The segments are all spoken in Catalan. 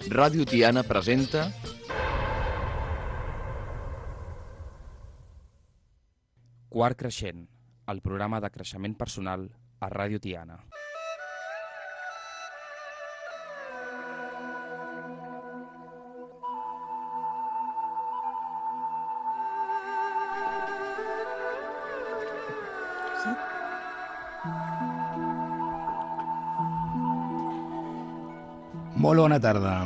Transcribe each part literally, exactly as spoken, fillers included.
Ràdio Tiana presenta Quart Creixent, el programa de creixement personal a Ràdio Tiana. Molt bona tarda.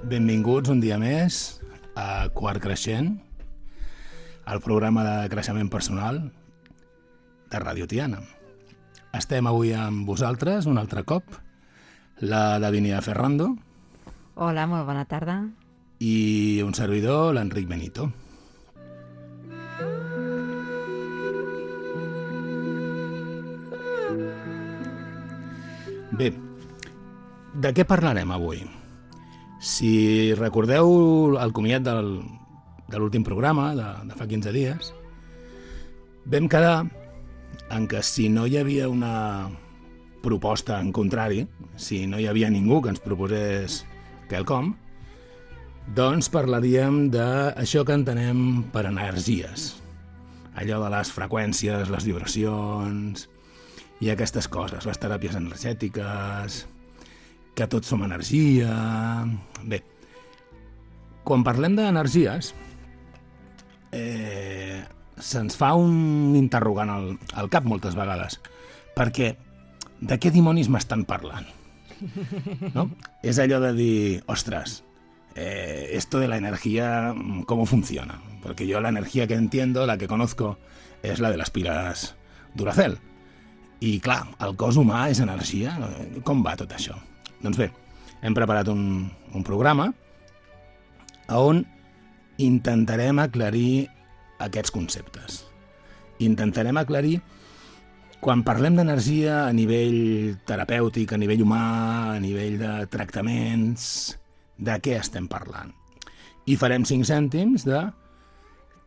Benvinguts un dia més a Quart Creixent, el programa de creixement personal de Ràdio Tiana. Estem avui amb vosaltres un altre cop, la Davinia Ferrando. Hola, molt bona tarda. I un servidor, l'Enric Benito. Bé, de què parlarem avui? Si recordeu el comiat del, de l'últim programa, de, de fa quinze dies, vam quedar en que si no hi havia una proposta en contrari, si no hi havia ningú que ens proposés quelcom, doncs parlaríem d'això que entenem per energies. Allò de les freqüències, les vibracions i aquestes coses, les teràpies energètiques, que tots som energia... Bé, quan parlem d'energies, eh, se'ns fa un interrogant al, al cap moltes vegades, perquè de què dimonis m'estan parlant? ¿No? És allò de dir, ostres, eh, esto de la energía, ¿cómo funciona? Porque yo la energía que entiendo, la que conozco, es la de las pilas Duracell. I clar, el cos humà és energia. Com va tot això? Doncs bé, hem preparat un, un programa on intentarem aclarir aquests conceptes. Intentarem aclarir, quan parlem d'energia a nivell terapèutic, a nivell humà, a nivell de tractaments, de què estem parlant. I farem cinc cèntims de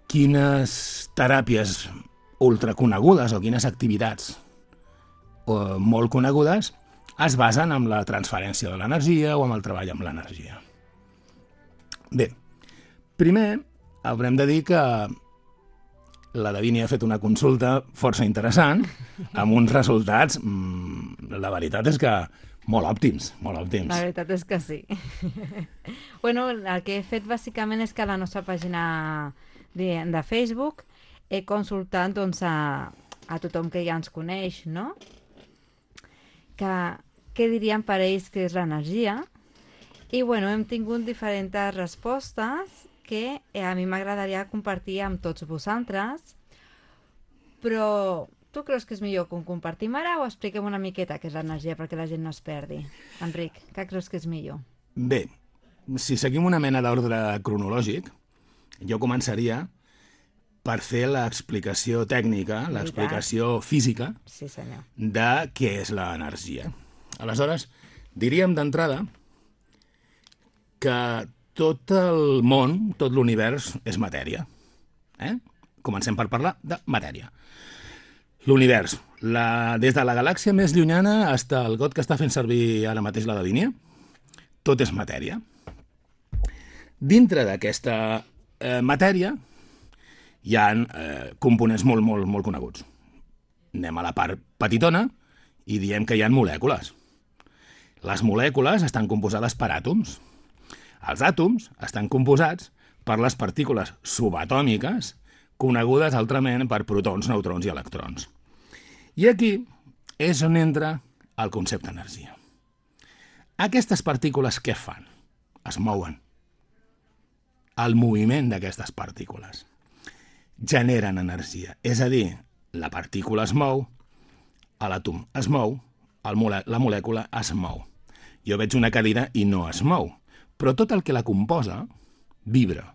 quines teràpies ultraconegudes o quines activitats o molt conegudes es basen en la transferència de l'energia o en el treball amb l'energia. Bé, primer haurem de dir que la Davinia ha fet una consulta força interessant amb uns resultats, mmm, la veritat és que molt òptims, molt òptims. La veritat és que sí. Bueno, el que he fet bàsicament és que a la nostra pàgina de, de Facebook he consultat doncs, a, a tothom que ja ens coneix, no? Que, què dirien per ells que és l'energia, i bueno, hem tingut diferents respostes que a mi m'agradaria compartir amb tots vosaltres, però tu creus que és millor que ho compartim ara o expliquem una miqueta què és l'energia perquè la gent no es perdi? Enric, què creus que és millor? Bé, si seguim una mena d'ordre cronològic, jo començaria per fer l'explicació tècnica, l'explicació física, sí, senyor, de què és l'energia. Aleshores, diríem d'entrada que tot el món, tot l'univers, és matèria. Eh? Comencem per parlar de matèria. L'univers, la, des de la galàxia més llunyana fins al got que està fent servir ara mateix la Davinia, tot és matèria. Dintre d'aquesta eh, matèria hi ha eh, components molt, molt, molt coneguts. Anem a la part petitona i diem que hi ha molècules. Les molècules estan composades per àtoms. Els àtoms estan composats per les partícules subatòmiques, conegudes altrament per protons, neutrons i electrons. I aquí és on entra el concepte d'energia. Aquestes partícules què fan? Es mouen. El moviment d'aquestes partícules generen energia. És a dir, la partícula es mou, l'àtom es mou, el mole- la molècula es mou. Jo veig una cadira i no es mou, però tot el que la composa vibra,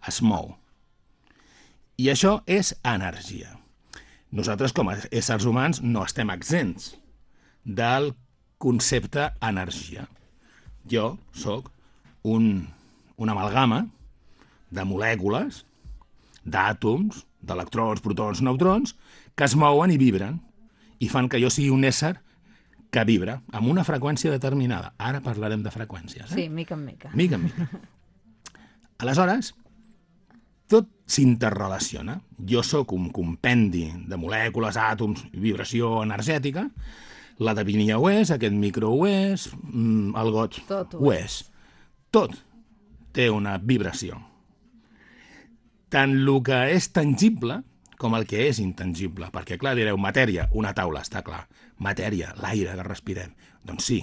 es mou. I això és energia. Nosaltres, com a éssers humans, no estem exempts del concepte energia. Jo sóc un, una amalgama de molècules, d'àtoms, d'electrons, protons, neutrons, que es mouen i vibren i fan que jo sigui un ésser que vibra amb una freqüència determinada. Ara parlarem de freqüències. Eh? Sí, mica en mica. Mica en mica. Aleshores, tot s'interrelaciona. Jo sóc un compendi de molècules, àtoms, vibració energètica, la Davinia ho és, aquest micro ho és, el got Tot ho ho és. Tot té una vibració. Tant el que és tangible com el que és intangible. Perquè, clar, direu, matèria, una taula, està clar. Matèria, l'aire que respirem. Doncs sí,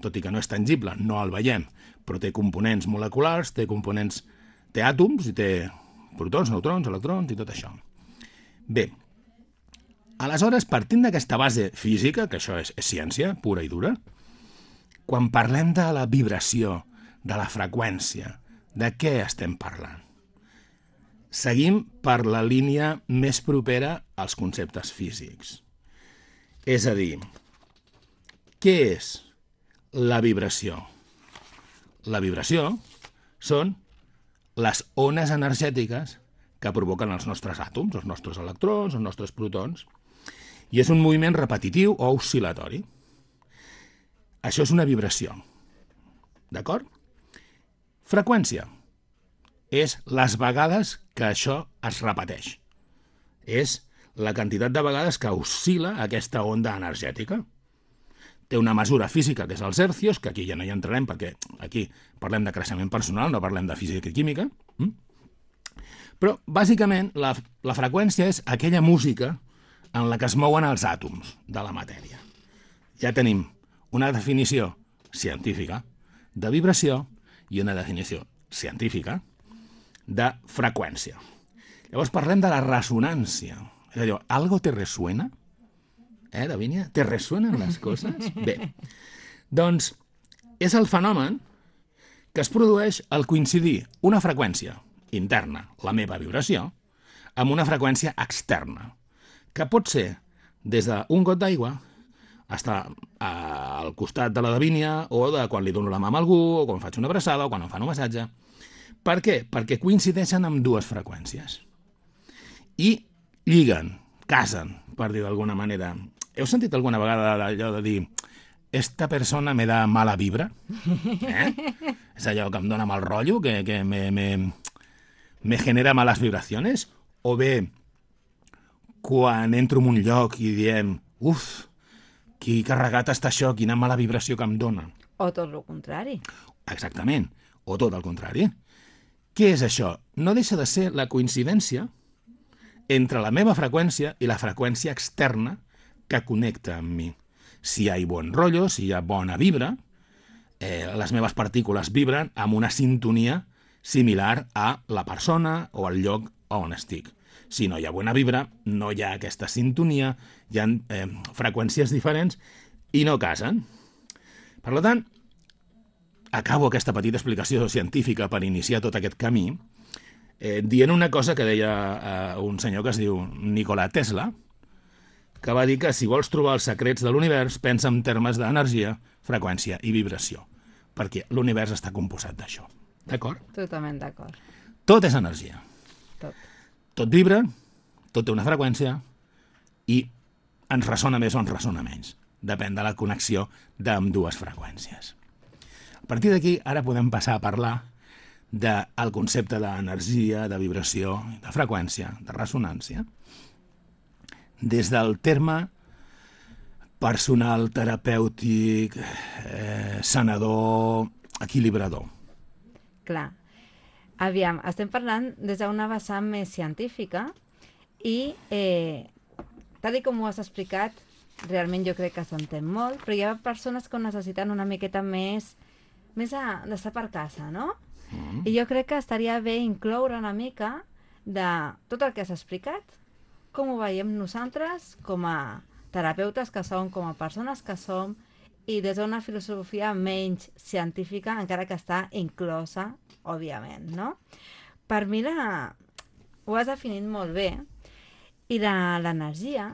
tot i que no és tangible, no el veiem, però té components moleculars, té components, té àtoms i té protons, neutrons, electrons i tot això. Bé, aleshores, partint d'aquesta base física, que això és, és ciència pura i dura, quan parlem de la vibració, de la freqüència, de què estem parlant? Seguim per la línia més propera als conceptes físics. És a dir, què és la vibració? La vibració són les ones energètiques que provoquen els nostres àtoms, els nostres electrons, els nostres protons, i és un moviment repetitiu o oscil·latori. Això és una vibració. D'acord? Freqüència és les vegades que això es repeteix. És la quantitat de vegades que oscil·la aquesta onda energètica. Té una mesura física, que és els hercios, que aquí ja no hi entrarem, perquè aquí parlem de creixement personal, no parlem de física i química. Però, bàsicament, la, la freqüència és aquella música en la que es mouen els àtoms de la matèria. Ja tenim una definició científica de vibració i una definició científica de freqüència. Llavors parlem de la ressonància. És a dir, ¿algo te resuena? Eh, Davinia? ¿Te resuenan les coses? Bé, doncs és el fenomen que es produeix al coincidir una freqüència interna, la meva vibració, amb una freqüència externa, que pot ser des d'un got d'aigua està al costat de la Davinia o de quan li dono la mà a algú o quan faig una abraçada o quan em fan un massatge. Per què? Perquè coincideixen amb dues freqüències. I lliguen, casen, per dir d'alguna manera. Heu sentit alguna vegada allò de dir esta persona me da mala vibra? Eh? És allò que em dona mal rotllo, que, que me, me, me genera malas vibraciones? O bé, quan entro en un lloc i diem uf, qui carregat està això, quina mala vibració que em dona. O tot el contrari. Exactament, o tot el contrari. Què és això? No deixa de ser la coincidència entre la meva freqüència i la freqüència externa que connecta amb mi. Si hi ha bon rotllo, si hi ha bona vibra, eh, les meves partícules vibren amb una sintonia similar a la persona o al lloc on estic. Si no hi ha bona vibra, no hi ha aquesta sintonia, hi ha eh, freqüències diferents i no casen. Per tant, acabo aquesta petita explicació científica per iniciar tot aquest camí eh, dient una cosa que deia eh, un senyor que es diu Nikola Tesla, que va dir que si vols trobar els secrets de l'univers, pensa en termes d'energia, freqüència i vibració, perquè l'univers està composat d'això. D'acord? Totalment d'acord. Tot és energia. Tot. Tot vibra, tot té una freqüència i ens ressona més o ens ressona menys. Depèn de la connexió d'ambdues freqüències. A partir d'aquí, ara podem passar a parlar del concepte d'energia, de vibració, de freqüència, de ressonància, des del terme personal, terapèutic, eh, sanador, equilibrador. Clar. Aviam, estem parlant des d'una vessant més científica i, eh, tal com ho has explicat, realment jo crec que s'entén molt, però hi ha persones que ho necessiten una miqueta més, més a, d'estar per casa, no? Mm. I jo crec que estaria bé incloure una mica de tot el que has explicat, com ho veiem nosaltres com a terapeutes que som, com a persones que som, i des d'una filosofia menys científica, encara que està inclosa, òbviament, no? Per mi la... ho has definit molt bé, i de l'energia,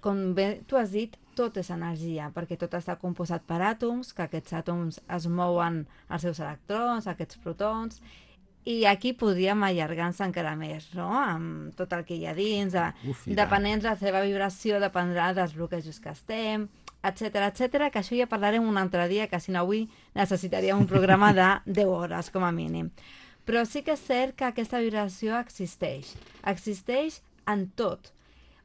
com bé tu has dit, tot és energia, perquè tot està composat per àtoms, que aquests àtoms es mouen els seus electrons, aquests protons, i aquí podríem allargar-nos encara més, no? Amb tot el que hi ha dins, de, Uf, depenent de la seva vibració, dependrà dels bloquejos que estem, etcètera, etcètera, que això ja parlarem un altre dia, que si no avui necessitaríem un programa de deu hores, com a mínim. Però sí que és cert que aquesta vibració existeix. Existeix en tot.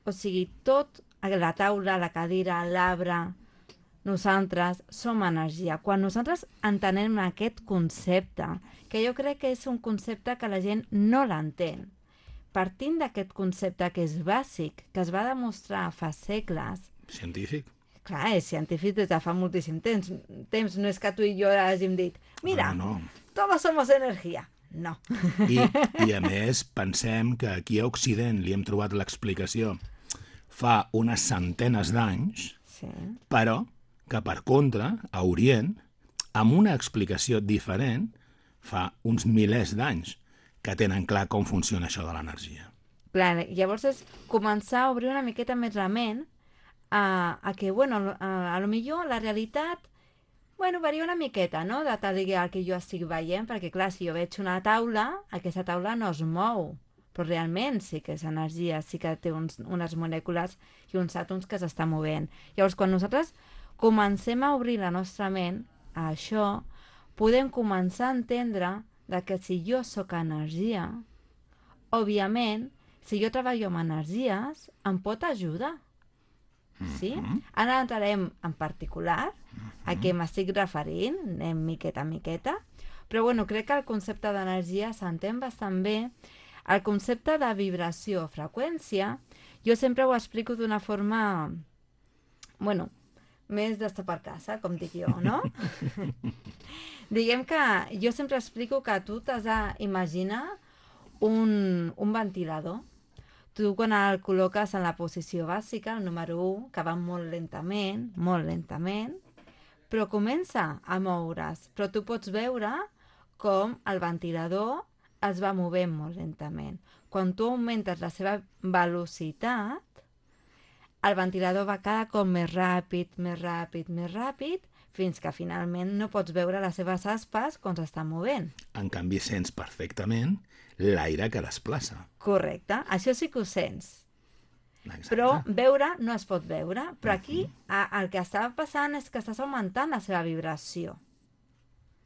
O sigui, tot, la taula, la cadira, l'arbre, nosaltres som energia. Quan nosaltres entenem aquest concepte, que jo crec que és un concepte que la gent no l'entén, partint d'aquest concepte que és bàsic, que es va demostrar fa segles... Científic. Clar, és científic des de fa moltíssim temps. temps. No és que tu i jo hàgim dit, mira, no, no. todos somos energia. No. I, I a més, pensem que aquí a Occident li hem trobat l'explicació fa unes centenes d'anys, Sí. però que per contra, a Orient, amb una explicació diferent, fa uns milers d'anys que tenen clar com funciona això de l'energia. Clar, llavors és començar a obrir una miqueta més la ment a, a que, bueno, a, a lo millor la realitat, bueno, varia una miqueta, no?, de tal el que jo estic veient, perquè, clar, si jo veig una taula, aquesta taula no es mou, però realment sí que és energia, sí que té uns, unes molècules i uns àtoms que s'estan movent. Llavors, quan nosaltres comencem a obrir la nostra ment a això, podem començar a entendre de que si jo sóc energia, òbviament, si jo treballo amb energies, em pot ajudar. Sí? Ara entrarem en particular a què m'estic referint, anem miqueta a miqueta, però bueno, crec que el concepte d'energia s'entén bastant bé. El concepte de vibració, freqüència, jo sempre ho explico d'una forma, bueno, més d'estar per casa, com dic jo, no? Diguem que jo sempre explico que tu t'has d'imaginar un, un ventilador. Tu quan el col·loques en la posició bàsica, el número u, que va molt lentament, molt lentament, però comença a moure's. Però tu pots veure com el ventilador es va movent molt lentament. Quan tu augmentes la seva velocitat, el ventilador va cada cop més ràpid, més ràpid, més ràpid, fins que finalment no pots veure les seves aspes quan s'està movent. En canvi, sents perfectament l'aire que desplaça. Correcte, això sí que ho sents. Exacte. Però veure no es pot veure. Però aquí a, el que està passant és que estàs augmentant la seva vibració.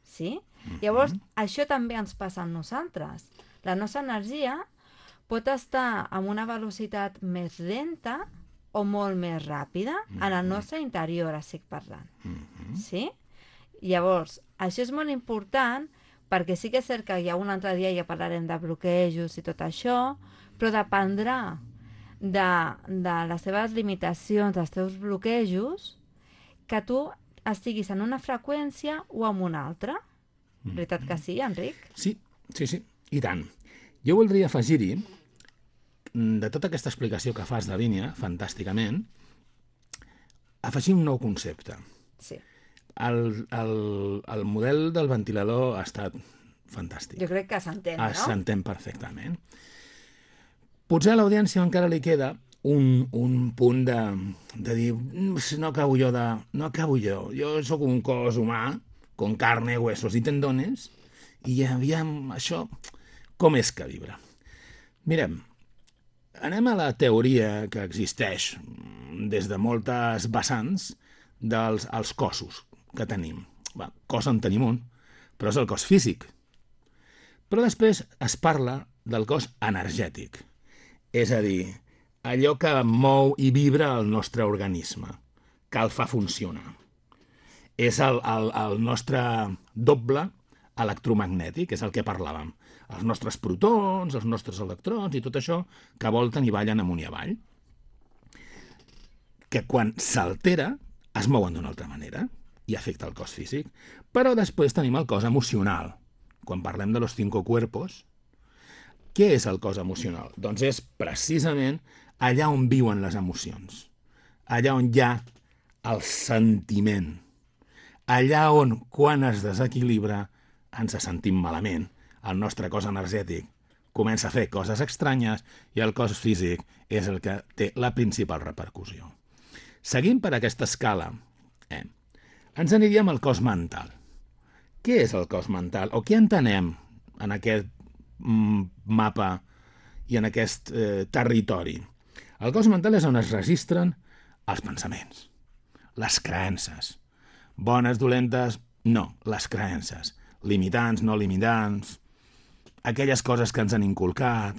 Sí? Llavors, això també ens passa a nosaltres. La nostra energia pot estar amb una velocitat més lenta o molt més ràpida en el nostre interior, estic parlant. Sí? Llavors, això és molt important perquè sí que és cert que ja un altre dia ja parlarem de bloquejos i tot això, però dependrà de, de les teves limitacions, dels teus bloquejos, que tu estiguis en una freqüència o en una altra. Veritat que sí, Enric? Sí, sí, sí, i tant. Jo voldria afegir-hi, de tota aquesta explicació que fas de línia, fantàsticament, afegir un nou concepte. Sí. El, el, el model del ventilador ha estat fantàstic. Jo crec que s'entén, no? S'entén perfectament. Potser a l'audiència encara li queda un, un punt de, de dir no acabo jo de... No acabo jo. Jo sóc un cos humà, con carne, huesos i tendones, i aviam, això, com és que vibra? Mirem, anem a la teoria que existeix des de moltes vessants dels els cossos que tenim. Va, cos en tenim un, però és el cos físic. Però després es parla del cos energètic, és a dir, allò que mou i vibra el nostre organisme, que el fa funcionar. És el, el, el nostre doble electromagnètic, és el que parlàvem. Els nostres protons, els nostres electrons i tot això que volten i ballen amunt i avall. Que quan s'altera es mouen d'una altra manera i afecta el cos físic. Però després tenim el cos emocional. Quan parlem de los cinco cuerpos, què és el cos emocional? Doncs és precisament allà on viuen les emocions, allà on hi ha el sentiment, allà on, quan es desequilibra, ens sentim malament. El nostre cos energètic comença a fer coses estranyes i el cos físic és el que té la principal repercussió. Seguint per aquesta escala, eh, ens aniríem al cos mental. Què és el cos mental? O què entenem en aquest mm, mapa i en aquest eh, territori? El cos mental és on es registren els pensaments, les creences. Bones, dolentes, no, les creences. Limitants, no limitants, aquelles coses que ens han inculcat,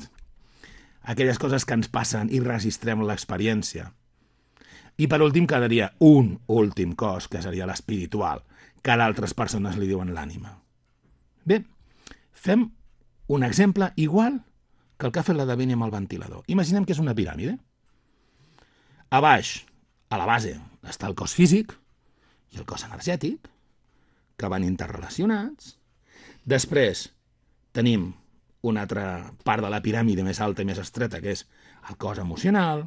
aquelles coses que ens passen i registrem l'experiència. I per últim quedaria un últim cos, que seria l'espiritual, que d'altres persones li diuen l'ànima. Bé, fem un exemple igual que el que ha fet la Davinia amb el ventilador. Imaginem que és una piràmide. A baix, a la base, està el cos físic i el cos energètic, que van interrelacionats. Després tenim una altra part de la piràmide més alta i més estreta, que és el cos emocional,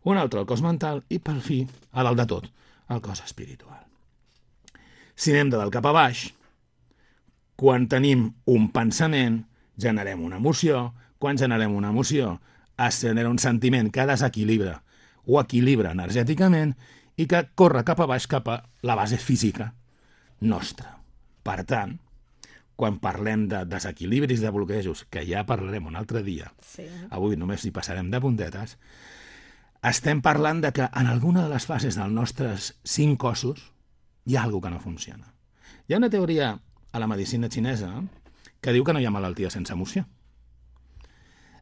un altre el cos mental i, per fi, a dalt de tot, el cos espiritual. Si anem de dalt cap a baix, quan tenim un pensament, generem una emoció. Quan generem una emoció, es genera un sentiment que desequilibra o equilibra energèticament i que corre cap a baix, cap a la base física nostra. Per tant, quan parlem de desequilibris, de bloquejos, que ja parlarem un altre dia, sí. Avui només hi passarem de puntetes, estem parlant de que en alguna de les fases dels nostres cinc cossos hi ha alguna que no funciona. Hi ha una teoria a la medicina xinesa que diu que no hi ha malaltia sense emoció.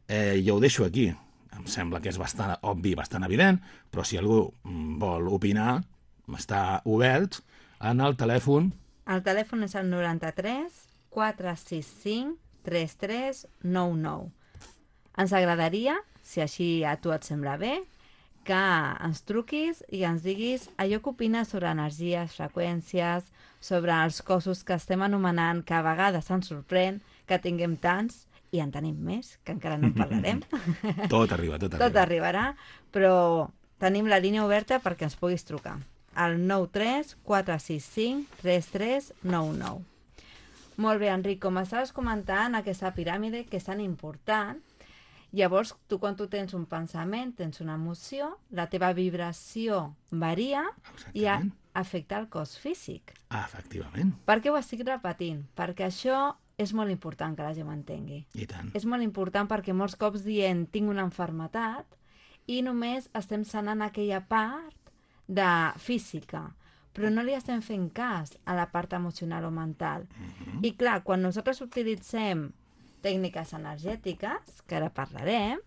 Eh, jo ho deixo aquí. Em sembla que és bastant obvi, bastant evident, però si algú vol opinar, està obert en el telèfon. El telèfon és el noranta-tres quatre sis cinc tres tres nou nou. Ens agradaria, si així a tu et sembla bé, que ens truquis i ens diguis allò que opines sobre energies, freqüències, sobre els cossos que estem anomenant, que a vegades ens sorprèn que tinguem tants, i en tenim més, que encara no en parlarem. Tot arriba, tot arriba. Tot arribarà, però tenim la línia oberta perquè ens puguis trucar. Al nou tres quatre sis cinc tres tres nou nou. Molt bé, Enric, com estaves comentant, aquesta piràmide que és tan important, llavors tu quan tu tens un pensament, tens una emoció, la teva vibració varia. Exactament. I a, afecta el cos físic. Ah, efectivament. Per què ho estic repetint? Perquè això és molt important que la gent m'entengui. I tant. És molt important perquè molts cops dient tinc una malaltia i només estem sanant aquella part de física, però no li estem fent cas a la part emocional o mental. Uh-huh. I clar, quan nosaltres utilitzem tècniques energètiques, que ara parlarem,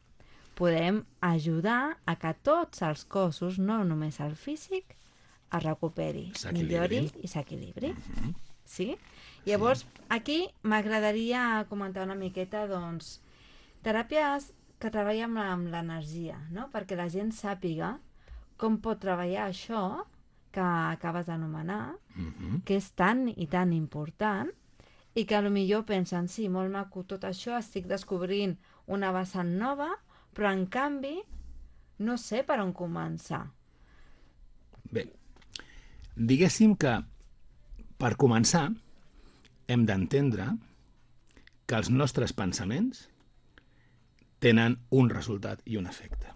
podem ajudar a que tots els cossos, no només el físic, es recuperi, millori i s'equilibri. Uh-huh. Sí? Llavors, sí. Aquí m'agradaria comentar una miqueta, doncs, teràpies que treballen amb l'energia, no? Perquè la gent sàpiga com pot treballar això que acabes d'anomenar, uh-huh. que és tan i tan important, i que potser pensen, sí, molt maco tot això, estic descobrint una vessant nova, però en canvi no sé per on començar. Bé, diguéssim que per començar hem d'entendre que els nostres pensaments tenen un resultat i un efecte.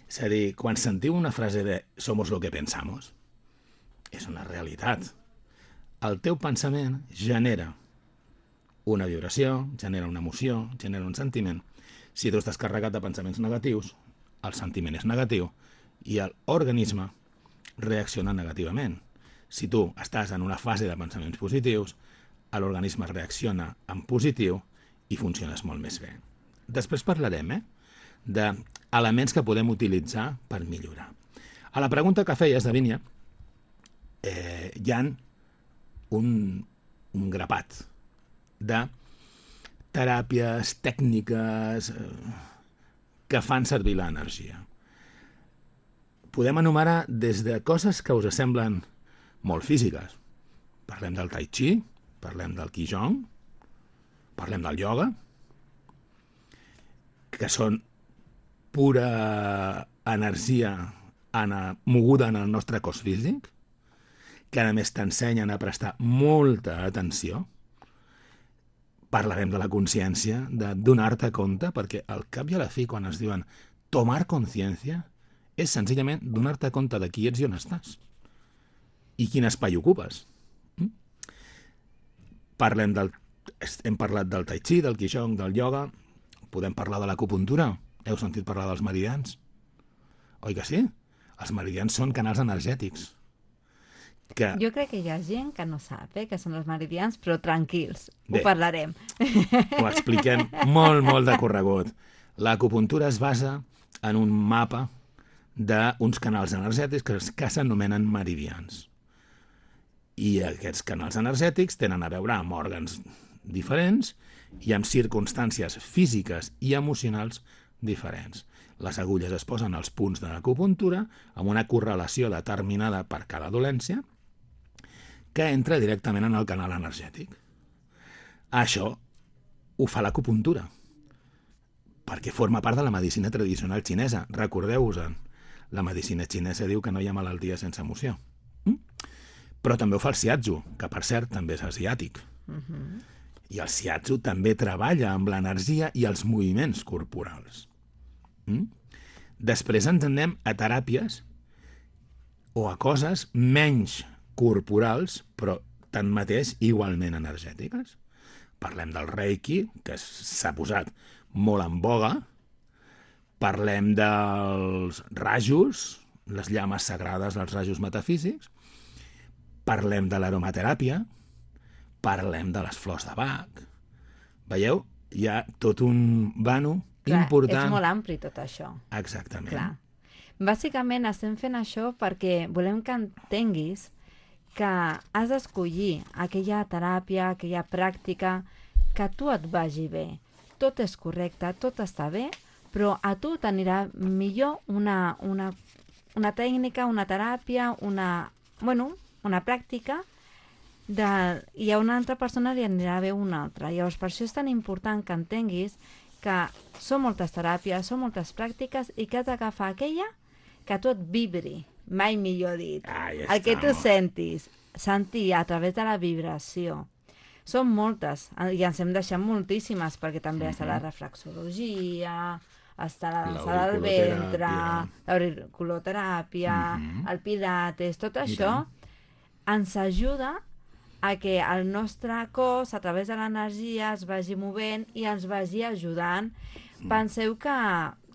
És a dir, quan sentiu una frase de «somos lo que pensamos», és una realitat. El teu pensament genera una vibració, genera una emoció, genera un sentiment. Si tu estàs carregat de pensaments negatius, el sentiment és negatiu i l'organisme reacciona negativament. Si tu estàs en una fase de pensaments positius, l'organisme reacciona en positiu i funciones molt més bé. Després parlarem eh, d'elements que podem utilitzar per millorar. A la pregunta que feies, Davinia, eh, hi ha un, un grapat de teràpies, tècniques eh, que fan servir l'energia. Podem enumerar des de coses que us semblen molt físiques. Parlem del tai chi, parlem del qigong, parlem del ioga, que són pura energia moguda en el nostre cos físic, que a més t'ensenyen a prestar molta atenció. Parlarem de la consciència, de donar-te compte, perquè al cap i a la fi, quan es diuen tomar consciència, és senzillament donar-te compte de qui ets i on estàs. I quin espai ocupes. Mm? Parlem del... Hem parlat del tai chi, del qigong, del ioga. Podem parlar de l'acupuntura. Heu sentit parlar dels meridians? Oi que sí? Els meridians són canals energètics. Que... Jo crec que hi ha gent que no sap eh, que són els meridians, però tranquils, Bé, ho parlarem. Ho expliquem molt, molt de corregut. L'acupuntura es basa en un mapa d'uns canals energètics que, que s'anomenen meridians. I aquests canals energètics tenen a veure amb òrgans diferents i amb circumstàncies físiques i emocionals diferents. Les agulles es posen als punts de l'acupuntura amb una correlació determinada per cada dolència que entra directament en el canal energètic. Això ho fa l'acupuntura, perquè forma part de la medicina tradicional xinesa. Recordeu-vos-en, la medicina xinesa diu que no hi ha malaltia sense emoció. Mm? Però també ho fa el shiatsu, que per cert també és asiàtic. Uh-huh. I el shiatsu també treballa amb l'energia i els moviments corporals. Mm? Després ens anem a teràpies o a coses menys corporals, però tanmateix igualment energètiques. Parlem del Reiki, que s'ha posat molt en boga. Parlem dels rajos, les llames sagrades dels rajos metafísics. Parlem de l'aromateràpia. Parlem de les flors de Bach. Veieu? Hi ha tot un vano Clar, important. És molt ampli tot això. Exactament. Clar. Bàsicament estem fent això perquè volem que entenguis que has d'escollir aquella teràpia, aquella pràctica que a tu et vagi bé. Tot és correcte, tot està bé, però a tu t'anirà millor una, una, una tècnica, una teràpia, una, bueno, una pràctica, de, i a una altra persona li anirà bé una altra. Llavors, per això és tan important que entenguis que són moltes teràpies, són moltes pràctiques i que has d'agafar aquella que a tu et vibri, mai millor dit. Ah, ja el que tu està. sentis, sentir a través de la vibració. Són moltes, i ens hem deixat moltíssimes, perquè també està la reflexologia, està la dansa del ventre, l'auriculoteràpia, Mhm. el pilates, tot I això tant. ens ajuda a que el nostre cos, a través de l'energia, es vagi movent i ens vagi ajudant. Penseu que,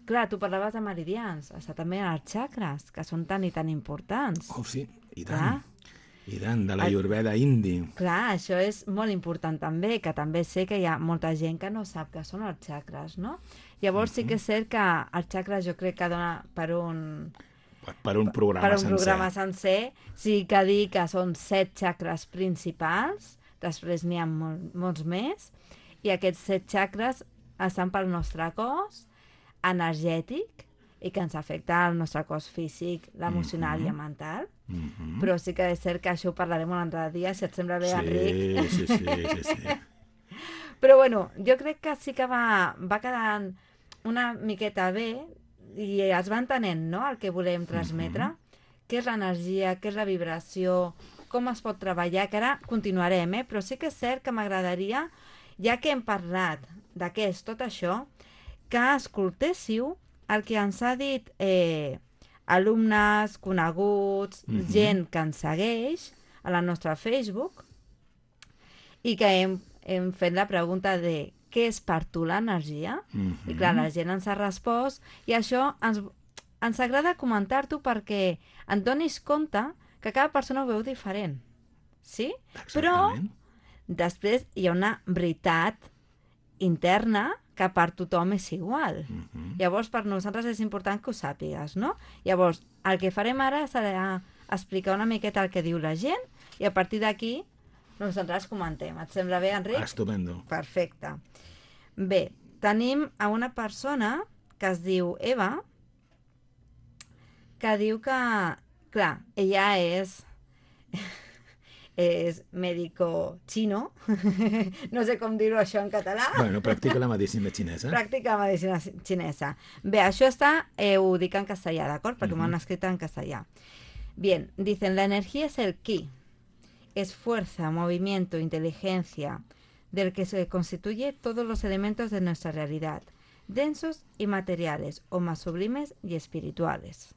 clar, tu parlaves de meridians, està també els xacres, que són tan i tan importants. Oh, sí, i tant. Clar. I tant, de la El- Ayurveda indi. Clar, això és molt important també, que també sé que hi ha molta gent que no sap què són els xacres, no? Llavors sí que és cert que els xacres jo crec que dona per un, Per un programa per un sencer. programa sencer. Sí que dir que són set xacres principals, després n'hi ha mol, molts més, i aquests set xacres estan pel nostre cos energètic i que ens afecta el nostre cos físic, l'emocional i el mental. Mhm. Però sí que és cert que això ho parlarem un altre dia, si et sembla bé, Enric. Sí, sí, sí, sí, sí. Però bueno, jo crec que sí que va, va quedant una miqueta bé i es va entenent, no?, el que volem transmetre, Mhm. què és l'energia, què és la vibració, com es pot treballar, que ara continuarem, eh? Però sí que és cert que m'agradaria, ja que hem parlat de què és tot això, que escoltéssiu el que ens ha dit eh, alumnes, coneguts, Mhm. gent que ens segueix a la nostra Facebook i que hem, hem fet la pregunta de què és per tu l'energia? Mhm. I clar, la gent ens ha respost i això ens, ens agrada comentar-t'ho perquè et donis compte que cada persona ho veu diferent. Sí? Però Exactament. després hi ha una veritat interna que per tothom és igual. Mhm. Llavors, per nosaltres és important que ho sàpigues, no? Llavors, el que farem ara serà explicar una miqueta el que diu la gent i a partir d'aquí nosaltres comentem. Et sembla bé, Enric? Estupendo. Perfecte. Bé, tenim a una persona que es diu Eva, que diu que, clar, ella és és médico xino, no sé com dir-ho això en català, Bueno, practica la medicina xinesa. pràctica medicina xinesa. Bé, això està, eh, ho dic en castellà, d'acord? Perquè Mhm. m'ho han escrit en castellà. Bien, dicen, la energía es el ki, es fuerza, movimiento, inteligencia, del que se constituye todos los elementos de nuestra realidad, densos y materiales, o más sublimes y espirituales.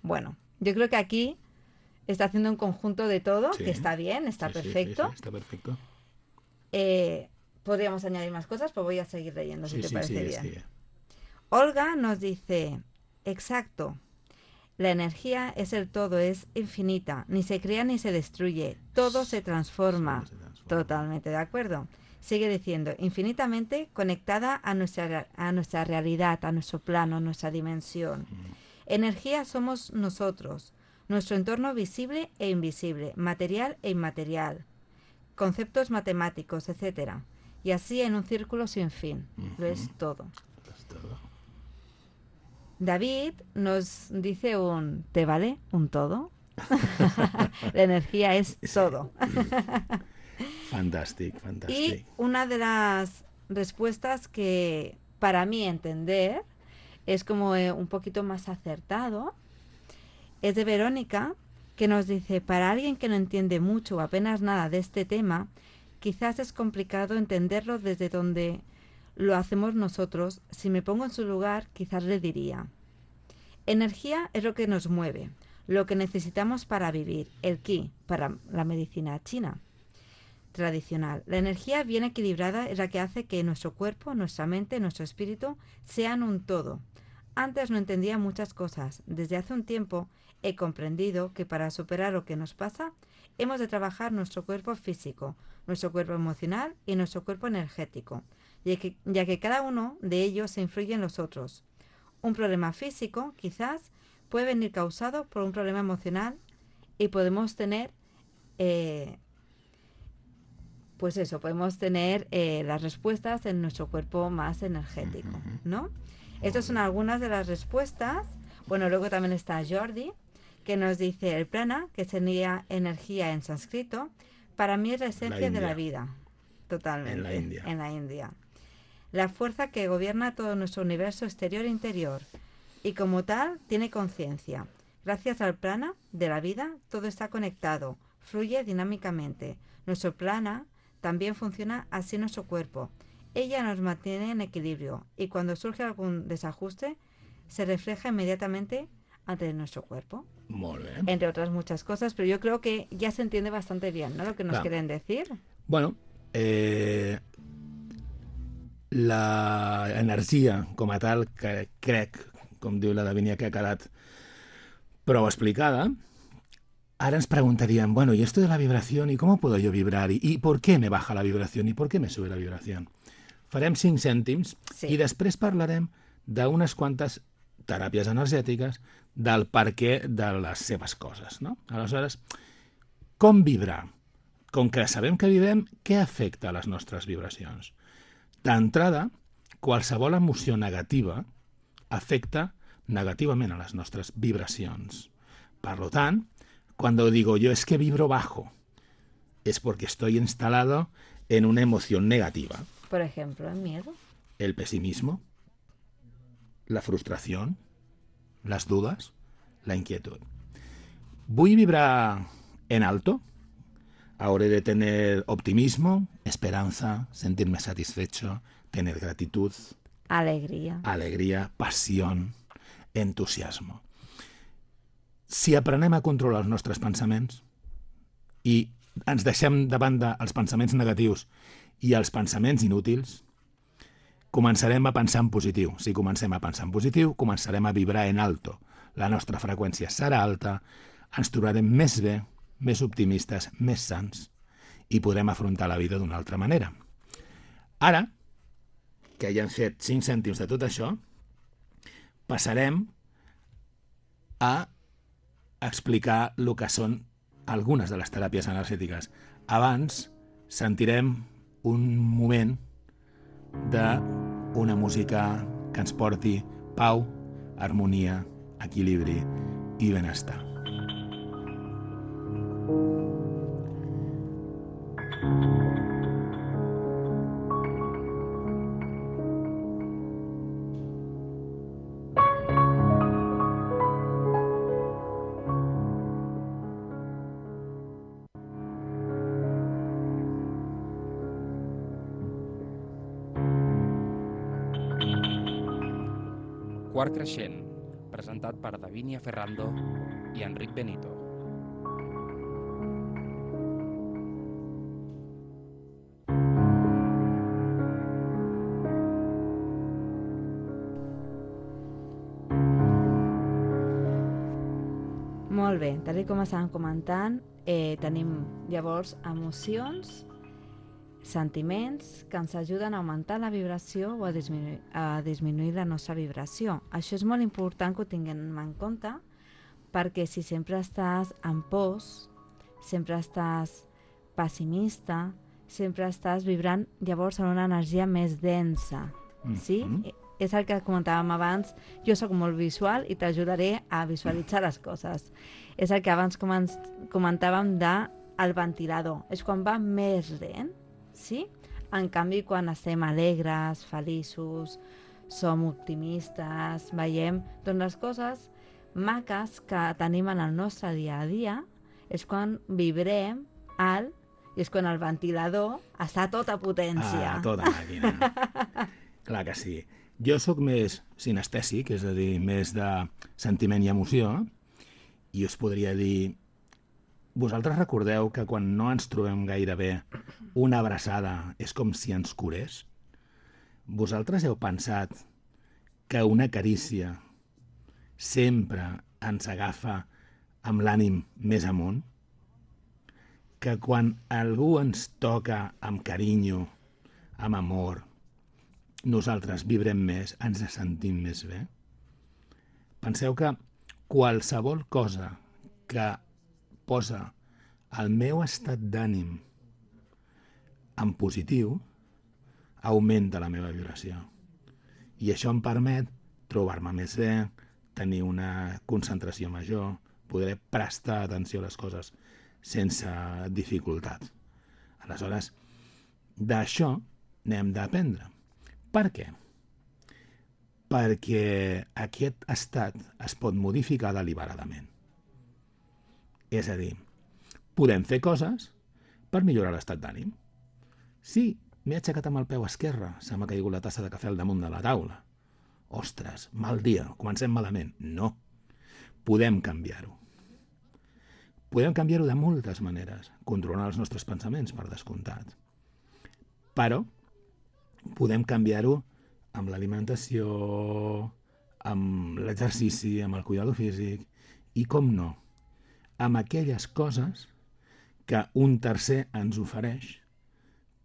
Bueno, yo creo que aquí está haciendo un conjunto de todo, Sí. que está bien, está Sí, sí, perfecto. Sí, sí, está perfecto. Eh, podríamos añadir más cosas, pero voy a seguir leyendo, si Sí, te sí, parece sí, bien. sí. Olga nos dice, exacto, La energía es el todo, es infinita, ni se crea ni se destruye, todo se transforma. Todo se transforma. Totalmente de acuerdo. Sigue diciendo, infinitamente conectada a nuestra, a nuestra realidad, a nuestro plano, a nuestra dimensión. Energía somos nosotros, nuestro entorno visible e invisible, material e inmaterial, conceptos matemáticos, etcétera. Y así en un círculo sin fin. Lo es todo. Es todo. David nos dice un ¿te vale un todo? La energía es todo. Fantàstic, Y fantàstic. una de las respuestas que para mí entender es como eh, un poquito más acertado es de Verónica, que nos dice, para alguien que no entiende mucho o apenas nada de este tema, quizás es complicado entenderlo desde donde lo hacemos nosotros. Si me pongo en su lugar, quizás le diría, energía es lo que nos mueve, lo que necesitamos para vivir, el ki, para la medicina china tradicional. La energía bien equilibrada es la que hace que nuestro cuerpo, nuestra mente, nuestro espíritu sean un todo. Antes no entendía muchas cosas. Desde hace un tiempo he comprendido que para superar lo que nos pasa, hemos de trabajar nuestro cuerpo físico, nuestro cuerpo emocional y nuestro cuerpo energético, ya que, ya que cada uno de ellos se influye en los otros. Un problema físico, quizás, puede venir causado por un problema emocional y podemos tener... Eh, Pues eso, podemos tener eh, las respuestas en nuestro cuerpo más energético, ¿no? Estas son algunas de las respuestas. Bueno, luego también está Jordi, que nos dice el prana, que sería energía en sánscrito, para mí es la esencia de la vida. Totalmente. En la India. En la India. La fuerza que gobierna todo nuestro universo exterior e interior. Y como tal, tiene conciencia. Gracias al prana de la vida, todo está conectado, fluye dinámicamente. Nuestro prana también funciona así en nuestro cuerpo. Ella nos mantiene en equilibrio y cuando surge algún desajuste se refleja inmediatamente ante nuestro cuerpo. Molt bé. Entre otras muchas cosas, pero yo creo que ya se entiende bastante bien, ¿no? Lo que nos Clar. quieren decir. Bueno, eh, la energia com a tal, que crec, com diu la Davinia, que ha quedat prou explicada. Ahora nos preguntarían, bueno, ¿y esto de la vibración? ¿Y cómo puedo yo vibrar? ¿Y, y por qué me baja la vibración? ¿Y por qué me sube la vibración? Farem cinc cèntims Sí. i després parlarem d'unes quantes teràpies energètiques del per què de les seves coses, no? Aleshores, com vibrar? Com que sabem que vivem, què afecta les nostres vibracions? D'entrada, qualsevol emoció negativa afecta negativament a les nostres vibracions. Per lo tant, cuando digo yo es que vibro bajo, es porque estoy instalado en una emoción negativa. Por ejemplo, el miedo. El pesimismo, la frustración, las dudas, la inquietud. ¿Voy a vibrar en alto? Ahora he de tener optimismo, esperanza, sentirme satisfecho, tener gratitud, Alegría. alegría, pasión, entusiasmo. Si aprenem a controlar els nostres pensaments i ens deixem de banda els pensaments negatius i els pensaments inútils, començarem a pensar en positiu. Si comencem a pensar en positiu, començarem a vibrar en alto. La nostra freqüència serà alta, ens trobarem més bé, més optimistes, més sants i podrem afrontar la vida d'una altra manera. Ara, que ja hem fet cinc cèntims de tot això, passarem a explicar el que són algunes de les teràpies energètiques. Abans sentirem un moment d'una música que ens porti pau, harmonia, equilibri i benestar. Quart creixent, presentat per Davinia Ferrando i Enric Benito. molt bé, tal com estàvem comentant, eh, tenim llavors emocions, sentiments que ens ajuden a augmentar la vibració o a disminuir, a disminuir la nostra vibració. Això és molt important que ho tinguem en compte, perquè si sempre estàs en pors, sempre estàs pessimista, sempre estàs vibrant llavors en una energia més densa, sí? Mm-hmm. És el que comentàvem abans, jo sóc molt visual i t'ajudaré a visualitzar les coses. És el que abans comentàvem del ventilador, és quan va més lent, sí? En canvi, quan estem alegres, feliços, som optimistes, veiem, doncs les coses maques que tenim en el nostre dia a dia és quan vibrem alt i és quan el ventilador està a tota potència. Ah, a tota màquina. Clar que sí. Jo sóc més sinestèsic, és a dir, més de sentiment i emoció, i us podria dir, vosaltres recordeu que quan no ens trobem gaire bé, una abraçada és com si ens curés? Vosaltres heu pensat que una carícia sempre ens agafa amb l'ànim més amunt? Que quan algú ens toca amb carinyo, amb amor, nosaltres vibrem més, ens sentim més bé? Penseu que qualsevol cosa que posa el meu estat d'ànim en positiu augmenta la meva vibració. I això em permet trobar-me més bé, tenir una concentració major, poder prestar atenció a les coses sense dificultat. Aleshores, d'això n'hem d'aprendre. Per què? Perquè aquest estat es pot modificar deliberadament. És a dir, podem fer coses per millorar l'estat d'ànim. Sí, m'he aixecat amb el peu esquerre, se m'ha caigut la tassa de cafè al damunt de la taula. Ostres, mal dia, comencem malament. No, podem canviar-ho. Podem canviar-ho de moltes maneres, controlant els nostres pensaments, per descomptat. Però podem canviar-ho amb l'alimentació, amb l'exercici, amb el cuidado físic i, com no, amb aquelles coses que un tercer ens ofereix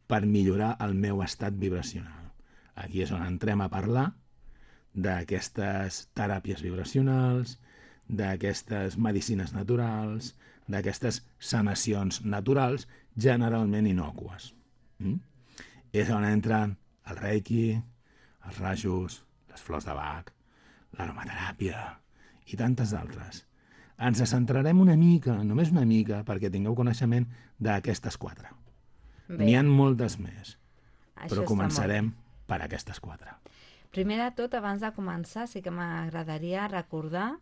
per millorar el meu estat vibracional. Aquí és on entrem a parlar d'aquestes teràpies vibracionals, d'aquestes medicines naturals, d'aquestes sanacions naturals, generalment innòcues. Mm? És on entren el reiki, els rajos, les flors de Bach, l'aromateràpia i tantes altres. Ens centrarem una mica, només una mica, perquè tingueu coneixement d'aquestes quatre. N'hi ha moltes més, Això però començarem per aquestes quatre. Primer de tot, abans de començar, sí que m'agradaria recordar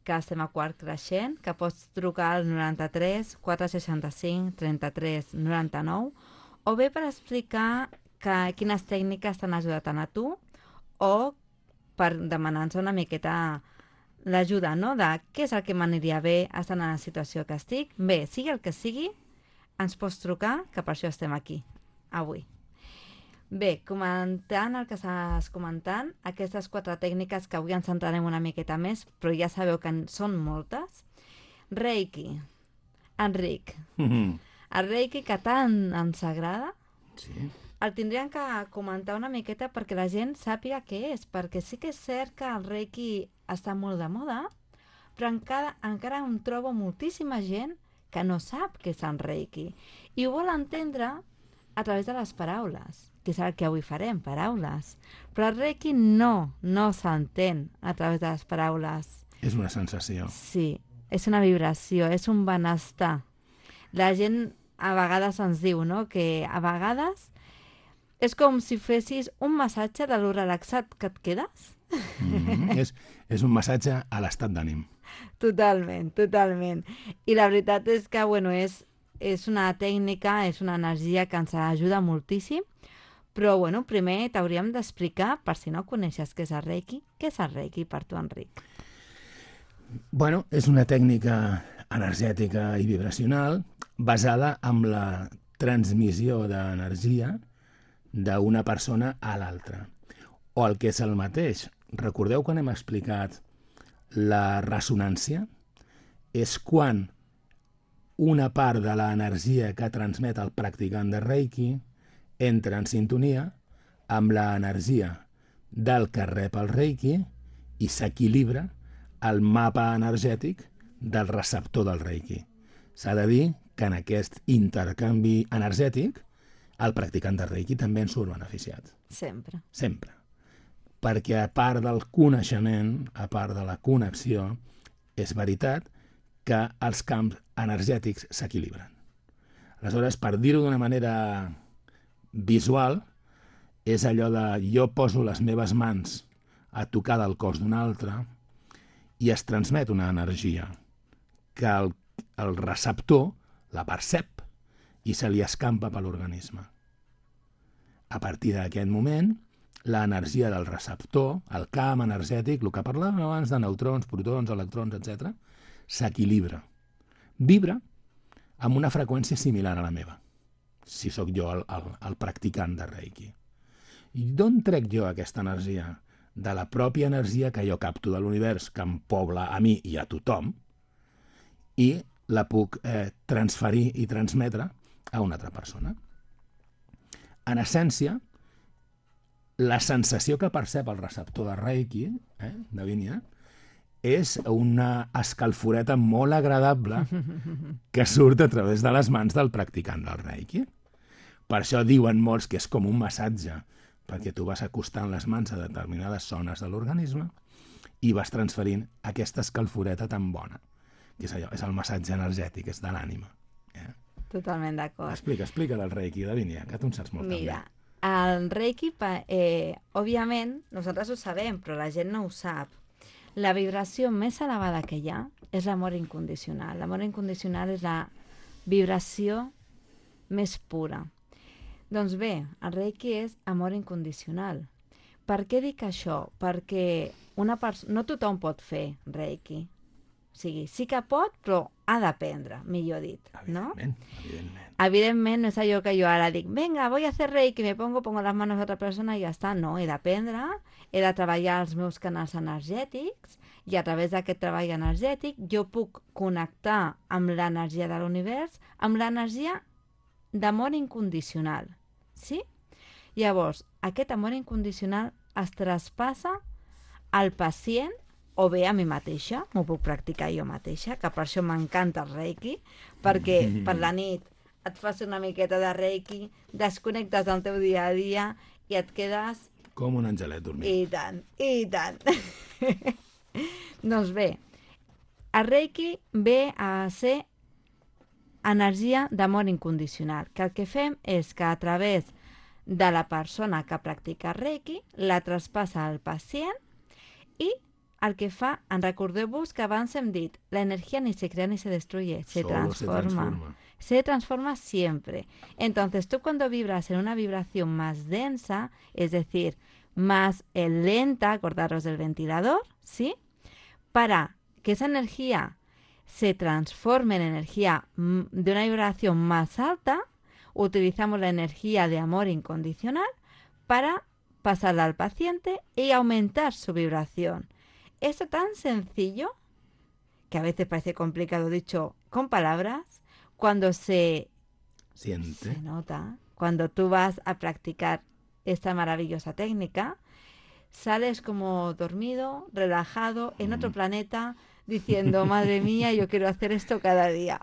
que estem a Quart Creixent, que pots trucar al noranta-tres quatre seixanta-cinc trenta-tres noranta-nou o bé per explicar que, quines tècniques t'han ajudat a tu o per demanar-nos una miqueta l'ajuda, no?, de què és el que m'aniria bé estant en la situació que estic. Bé, sigui el que sigui, ens pots trucar, que per això estem aquí, avui. Bé, comentant el que estàs comentant, aquestes quatre tècniques que avui ens centrarem una miqueta més, però ja sabeu que en són moltes. Reiki. Enric. Mm-hmm. El Reiki que tant ens agrada, Sí. el tindríem que comentar una miqueta perquè la gent sàpiga què és, perquè sí que és cert que el Reiki està molt de moda, però encara, encara em trobo moltíssima gent que no sap què és el Reiki i ho vol entendre a través de les paraules, que és el que avui farem, paraules. Però el Reiki no, no s'entén a través de les paraules. És una sensació. Sí, és una vibració, és un benestar. La gent a vegades ens diu, no?, que a vegades és com si fessis un massatge de lo relaxat que et quedes. Mm-hmm. és, és un massatge a l'estat d'ànim. Totalment, totalment. I la veritat és que, bueno, és, és una tècnica, és una energia que ens ajuda moltíssim, però, bueno, primer t'hauríem d'explicar, per si no coneixes què és el Reiki, què és el Reiki per tu, Enric? Bueno, és una tècnica energètica i vibracional basada en la transmissió d'energia d'una persona a l'altra. O el que és el mateix. Recordeu quan hem explicat la ressonància? és quan una part de l'energia que transmet el practicant de Reiki entra en sintonia amb l'energia del que rep el Reiki i s'equilibra el mapa energètic del receptor del Reiki. S'ha de dir que en aquest intercanvi energètic el practicant de Reiki també en surt beneficiat. Sempre. Sempre. Perquè a part del coneixement, a part de la connexió, és veritat que els camps energètics s'equilibren. Aleshores, per dir-ho d'una manera visual, és allò de jo poso les meves mans a tocar del cos d'un altre i es transmet una energia que el, el receptor la percep i se li escampa per l'organisme. A partir d'aquest moment, l'energia del receptor, el camp energètic, el que parlàvem abans de neutrons, protons, electrons, etcètera, s'equilibra. Vibra amb una freqüència similar a la meva, si sóc jo el, el, el practicant de Reiki. I d'on trec jo aquesta energia? De la pròpia energia que jo capto de l'univers, que em pobla a mi i a tothom, i la puc eh, transferir i transmetre a una altra persona. En essència, la sensació que percep el receptor de Reiki, eh, de Vínia, és una escalforeta molt agradable que surt a través de les mans del practicant del Reiki. Per això diuen molts que és com un massatge, perquè tu vas acostant les mans a determinades zones de l'organisme i vas transferint aquesta escalforeta tan bona, que és allò, és el massatge energètic, és de l'ànima. Eh? Totalment d'acord. Explica, explica del Reiki, Davinia, que tu en saps molt. Mira, també. el Reiki, eh, òbviament, nosaltres ho sabem, però la gent no ho sap. La vibració més elevada que hi ha és l'amor incondicional. L'amor incondicional és la vibració més pura. Doncs bé, el Reiki és amor incondicional. Per què dic això? Perquè una no tothom pot fer Reiki. O sigui, sí que pot, però ha d'aprendre, millor dit, ¿no? Evidentment, evidentment. Evidentment, no és allò que jo ara dic, venga, voy a hacer Reiki, me pongo, pongo las manos a otra persona i ja està. No, he d'aprendre, he de treballar els meus canals energètics i a través d'aquest treball energètic jo puc connectar amb l'energia de l'univers, amb l'energia d'amor incondicional, sí? Llavors, aquest amor incondicional es traspassa al pacient o bé a mi mateixa, m'ho puc practicar jo mateixa, que per això m'encanta el Reiki, perquè mm. per la nit et fas una miqueta de Reiki, desconnectes del teu dia a dia i et quedes... Com un angelet dormint. I tant, i tant. Doncs bé, el Reiki ve a ser energia d'amor incondicional, que el que fem és que a través de la persona que practica Reiki la traspassa al pacient i el que fa, en recordeu-vos que abans hem dit, la energía ni se crea ni se destruye, se transforma. se transforma. Se transforma siempre. Entonces, tú cuando vibras en una vibración más densa, es decir, más eh, lenta, acordaros del ventilador, ¿sí? Para que esa energía se transforme en energía de una vibración más alta, utilizamos la energía de amor incondicional para pasarla al paciente y aumentar su vibración. Esto tan sencillo, que a veces parece complicado dicho con palabras, cuando se, Siente. se nota, cuando tú vas a practicar esta maravillosa técnica, sales como dormido, relajado, en otro planeta, diciendo, madre mía, yo quiero hacer esto cada día.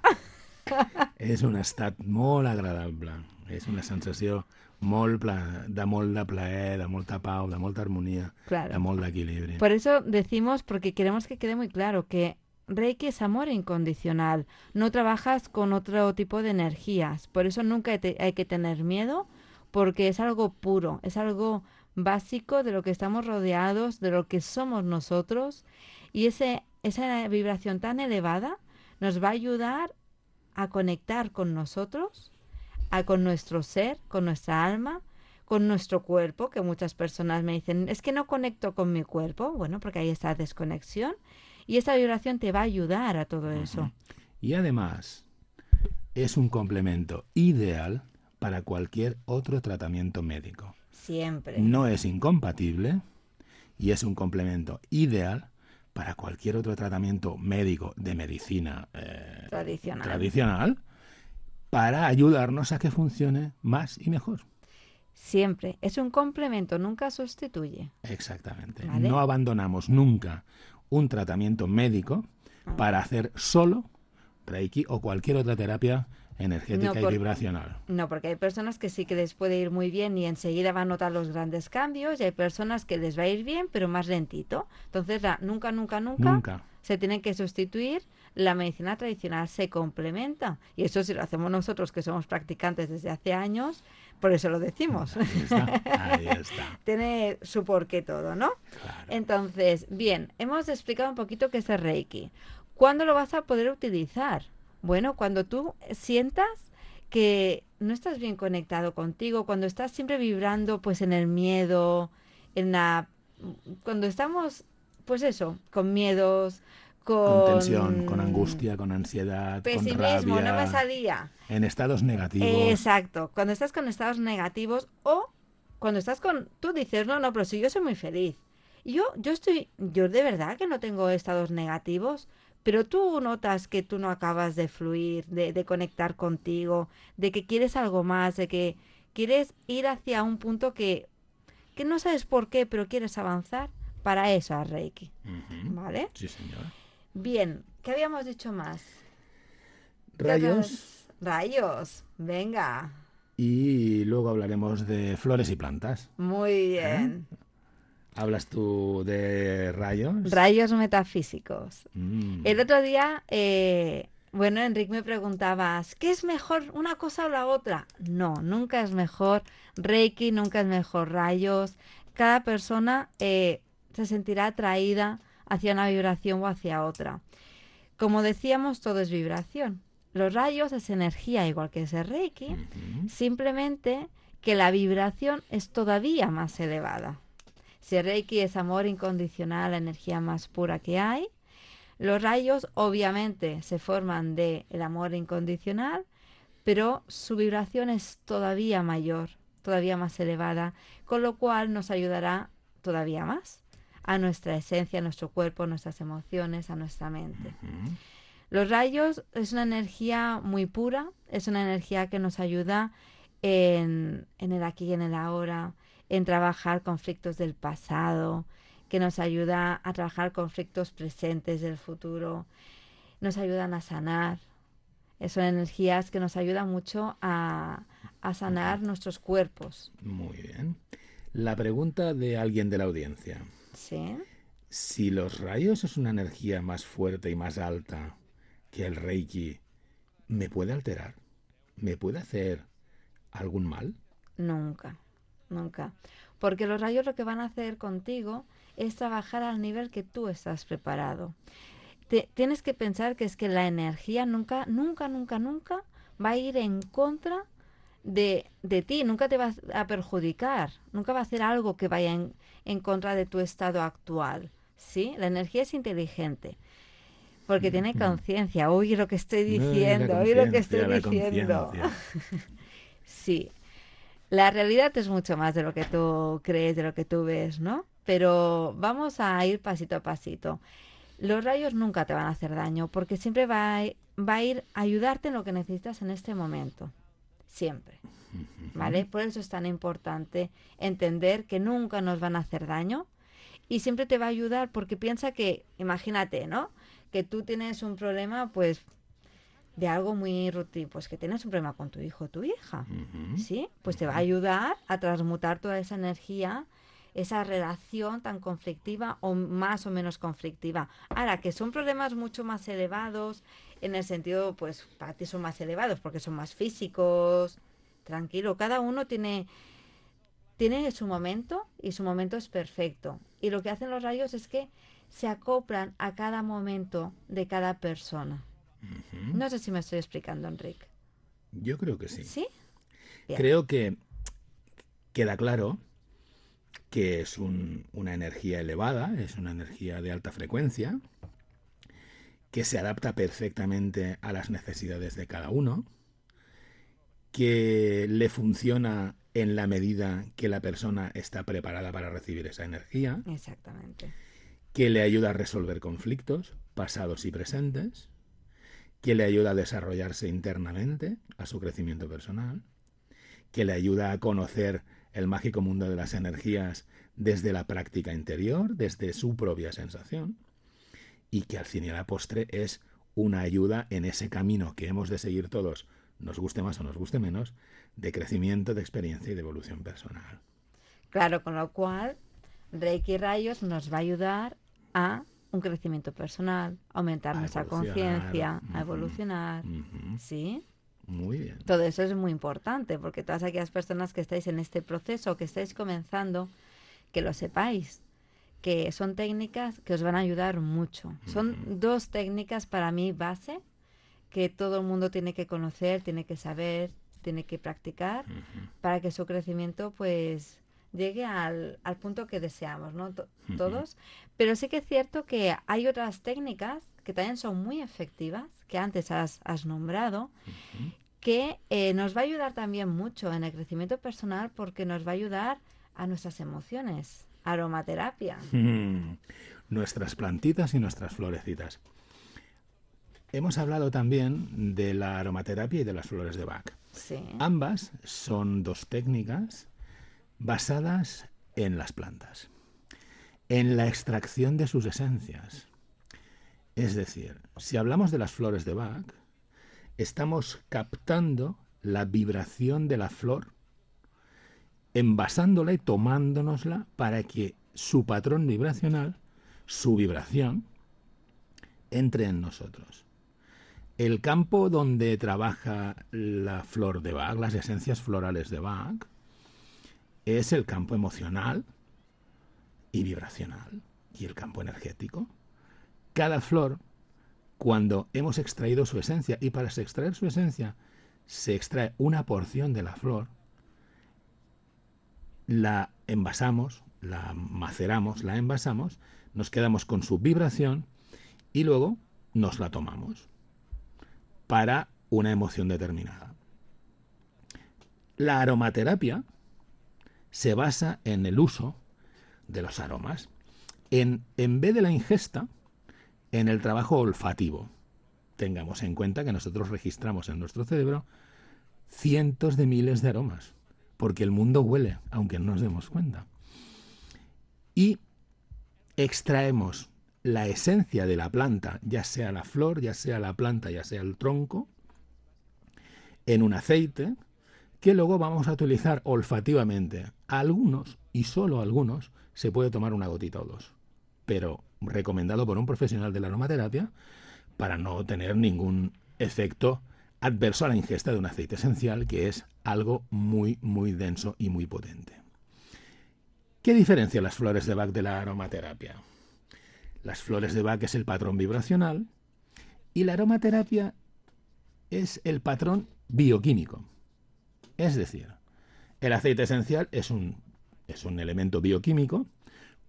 És un estat molt agradable, és una sensació molt pla, de molt de plaer, de molta pau, de molta armonia, claro. De molt d'equilibri. Por eso decimos, porque queremos que quede muy claro, que Reiki es amor incondicional. No trabajas con otro tipo de energías. Por eso nunca te, hay que tener miedo, porque es algo puro, es algo básico de lo que estamos rodeados, de lo que somos nosotros. Y ese, esa vibración tan elevada nos va a ayudar a conectar con nosotros, a, con nuestro ser, con nuestra alma, con nuestro cuerpo, que muchas personas me dicen, es que no conecto con mi cuerpo. Bueno, porque hay esta desconexión y esta vibración te va a ayudar a todo eso. Y además es un complemento ideal para cualquier otro tratamiento médico. Siempre. No es incompatible y es un complemento ideal para cualquier otro tratamiento médico de medicina eh, Tradicional. tradicional, para ayudarnos a que funcione más y mejor. Siempre. Es un complemento, nunca sustituye. Exactamente. ¿Vale? No abandonamos nunca un tratamiento médico para hacer solo Reiki o cualquier otra terapia energética No, y por- vibracional. No, porque hay personas que sí que les puede ir muy bien y enseguida van a notar los grandes cambios, y hay personas que les va a ir bien, pero más lentito. Entonces, la- nunca, nunca, nunca, Nunca. se tiene que sustituir. La medicina tradicional se complementa. Y eso si lo hacemos nosotros, que somos practicantes desde hace años, por eso lo decimos. Ahí está, ahí está. Tiene su porqué todo, ¿no? Claro. Entonces, bien, hemos explicado un poquito qué es el Reiki. ¿Cuándo lo vas a poder utilizar? Bueno, cuando tú sientas que no estás bien conectado contigo, cuando estás siempre vibrando pues en el miedo, en la cuando estamos pues eso, con miedos, con, Con tensión, con angustia, con ansiedad, con pesimismo, rabia, no me salía. en estados negativos. Exacto, cuando estás con estados negativos o cuando estás con tú dices, "No, no, pero si yo soy muy feliz." Y yo yo estoy yo de verdad que no tengo estados negativos. Pero tú notas que tú no acabas de fluir, de, de conectar contigo, de que quieres algo más, de que quieres ir hacia un punto que, que no sabes por qué, pero quieres avanzar. Para eso a Reiki. Ujú. ¿Vale? Sí, señor. Bien, ¿qué habíamos dicho más? ¿Qué Rayos, otros? Rayos, venga. y luego hablaremos de flores y plantas. Muy bien. ¿Hablas tú de rayos? Rayos metafísicos. Mm. El otro día, eh, bueno, Enrique me preguntabas, ¿qué es mejor, una cosa o la otra? No, nunca es mejor Reiki, nunca es mejor rayos. Cada persona eh, se sentirá atraída hacia una vibración o hacia otra. Como decíamos, todo es vibración. Los rayos es energía, igual que es el Reiki, Ujú. simplemente que la vibración es todavía más elevada. Si el Reiki es amor incondicional, la energía más pura que hay, los rayos obviamente se forman del amor incondicional, pero su vibración es todavía mayor, todavía más elevada, con lo cual nos ayudará todavía más a nuestra esencia, a nuestro cuerpo, a nuestras emociones, a nuestra mente. Ujú. Los rayos es una energía muy pura, es una energía que nos ayuda en, en el aquí y en el ahora, en trabajar conflictos del pasado, que nos ayuda a trabajar conflictos presentes del futuro, nos ayudan a sanar. Son energías que nos ayudan mucho a, a sanar nuestros cuerpos. Muy bien. La pregunta de alguien de la audiencia. ¿Sí? Si los rayos es una energía más fuerte y más alta que el Reiki, ¿me puede alterar? ¿Me puede hacer algún mal? Nunca, nunca. Porque los rayos lo que van a hacer contigo es trabajar al nivel que tú estás preparado. Te, tienes que pensar que es que la energía nunca, nunca, nunca, nunca va a ir en contra de, de ti, nunca te va a perjudicar, nunca va a hacer algo que vaya en, en contra de tu estado actual. ¿Sí? La energía es inteligente. Porque tiene conciencia. Oye lo que estoy diciendo, No, oye lo que conciencia, estoy la diciendo. conciencia. Sí. La realidad es mucho más de lo que tú crees, de lo que tú ves, ¿no? Pero vamos a ir pasito a pasito. Los rayos nunca te van a hacer daño porque siempre va a, va a ir a ayudarte en lo que necesitas en este momento. Siempre. ¿Vale? Por eso es tan importante entender que nunca nos van a hacer daño y siempre te va a ayudar porque piensa que, imagínate, ¿no? Que tú tienes un problema, pues, de algo muy rutino, pues que tienes un problema con tu hijo o tu hija, Ujú. ¿sí? Pues te va a ayudar a transmutar toda esa energía, esa relación tan conflictiva o más o menos conflictiva. Ahora, que son problemas mucho más elevados, en el sentido, pues, para ti son más elevados porque son más físicos, tranquilo, cada uno tiene, tiene su momento y su momento es perfecto. Y lo que hacen los rayos es que se acoplan a cada momento de cada persona. Ujú. No sé si me estoy explicando, Enrique. Yo creo que sí. ¿Sí? Bien. Creo que queda claro que es un- una energía elevada, es una energía de alta frecuencia, que se adapta perfectamente a las necesidades de cada uno, que le funciona en la medida que la persona está preparada para recibir esa energía, Exactamente. que le ayuda a resolver conflictos pasados y presentes, que le ayuda a desarrollarse internamente, a su crecimiento personal, que le ayuda a conocer el mágico mundo de las energías desde la práctica interior, desde su propia sensación, y que al fin y a la postre es una ayuda en ese camino que hemos de seguir todos, nos guste más o nos guste menos, de crecimiento, de experiencia y de evolución personal. Claro, con lo cual Reiki Rayos nos va a ayudar a un crecimiento personal, aumentar A nuestra evolucionar. conciencia, Ujú. a evolucionar, Ujú. ¿sí? Muy bien. Todo eso es muy importante, porque todas aquellas personas que estáis en este proceso, que estáis comenzando, que lo sepáis, que son técnicas que os van a ayudar mucho. Son Ujú. dos técnicas para mí base, que todo el mundo tiene que conocer, tiene que saber, tiene que practicar, Ujú. para que su crecimiento pues llegue al, al punto que deseamos, ¿no? To- Ujú. Todos. Pero sí que es cierto que hay otras técnicas que también son muy efectivas, que antes has, has nombrado, Ujú. que eh, nos va a ayudar también mucho en el crecimiento personal, porque nos va a ayudar a nuestras emociones. Aromaterapia. Mm. Nuestras plantitas y nuestras florecitas. Hemos hablado también de la aromaterapia y de las flores de Bach. Sí. Ambas son dos técnicas basadas en las plantas, en la extracción de sus esencias. Es decir, si hablamos de las flores de Bach, estamos captando la vibración de la flor, envasándola y tomándonosla para que su patrón vibracional, su vibración, entre en nosotros. El campo donde trabaja la flor de Bach, las esencias florales de Bach, es el campo emocional y vibracional y el campo energético. Cada flor, cuando hemos extraído su esencia, y para extraer su esencia se extrae una porción de la flor, la envasamos, la maceramos, la envasamos, nos quedamos con su vibración y luego nos la tomamos para una emoción determinada. La aromaterapia se basa en el uso de los aromas, en, en vez de la ingesta, en el trabajo olfativo. Tengamos en cuenta que nosotros registramos en nuestro cerebro cientos de miles de aromas, porque el mundo huele, aunque no nos demos cuenta. Y extraemos la esencia de la planta, ya sea la flor, ya sea la planta, ya sea el tronco, en un aceite que luego vamos a utilizar olfativamente. A algunos, y solo a algunos, se puede tomar una gotita o dos, pero recomendado por un profesional de la aromaterapia para no tener ningún efecto adverso a la ingesta de un aceite esencial, que es algo muy, muy denso y muy potente. ¿Qué diferencia las flores de Bach de la aromaterapia? Las flores de Bach es el patrón vibracional y la aromaterapia es el patrón bioquímico. Es decir, el aceite esencial es un, es un elemento bioquímico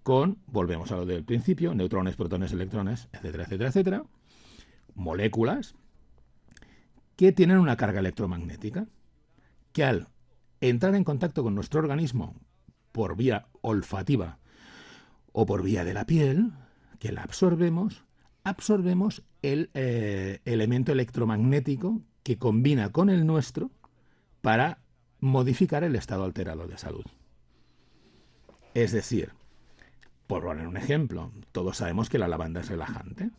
con, volvemos a lo del principio, neutrones, protones, electrones, etcétera, etcétera, etcétera, moléculas que tienen una carga electromagnética, que al entrar en contacto con nuestro organismo por vía olfativa o por vía de la piel, que la absorbemos, absorbemos el eh, elemento electromagnético que combina con el nuestro para modificar el estado alterado de salud. Es decir, por poner un ejemplo, todos sabemos que la lavanda es relajante.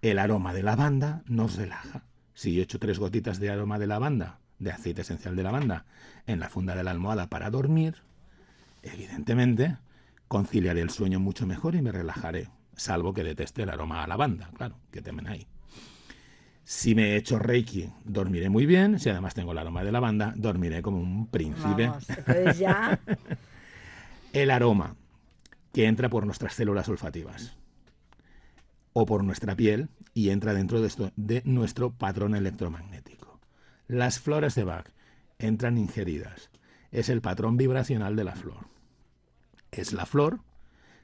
El aroma de lavanda nos relaja. Si yo echo tres gotitas de aroma de lavanda, de aceite esencial de lavanda, en la funda de la almohada para dormir, evidentemente conciliaré el sueño mucho mejor y me relajaré, salvo que deteste el aroma a lavanda, claro, que temen ahí. Si me he hecho Reiki, dormiré muy bien. Si además tengo el aroma de lavanda, dormiré como un príncipe. Vamos, entonces ya... El aroma que entra por nuestras células olfativas o por nuestra piel y entra dentro de, esto, de nuestro patrón electromagnético. Las flores de Bach entran ingeridas. Es el patrón vibracional de la flor. Es la flor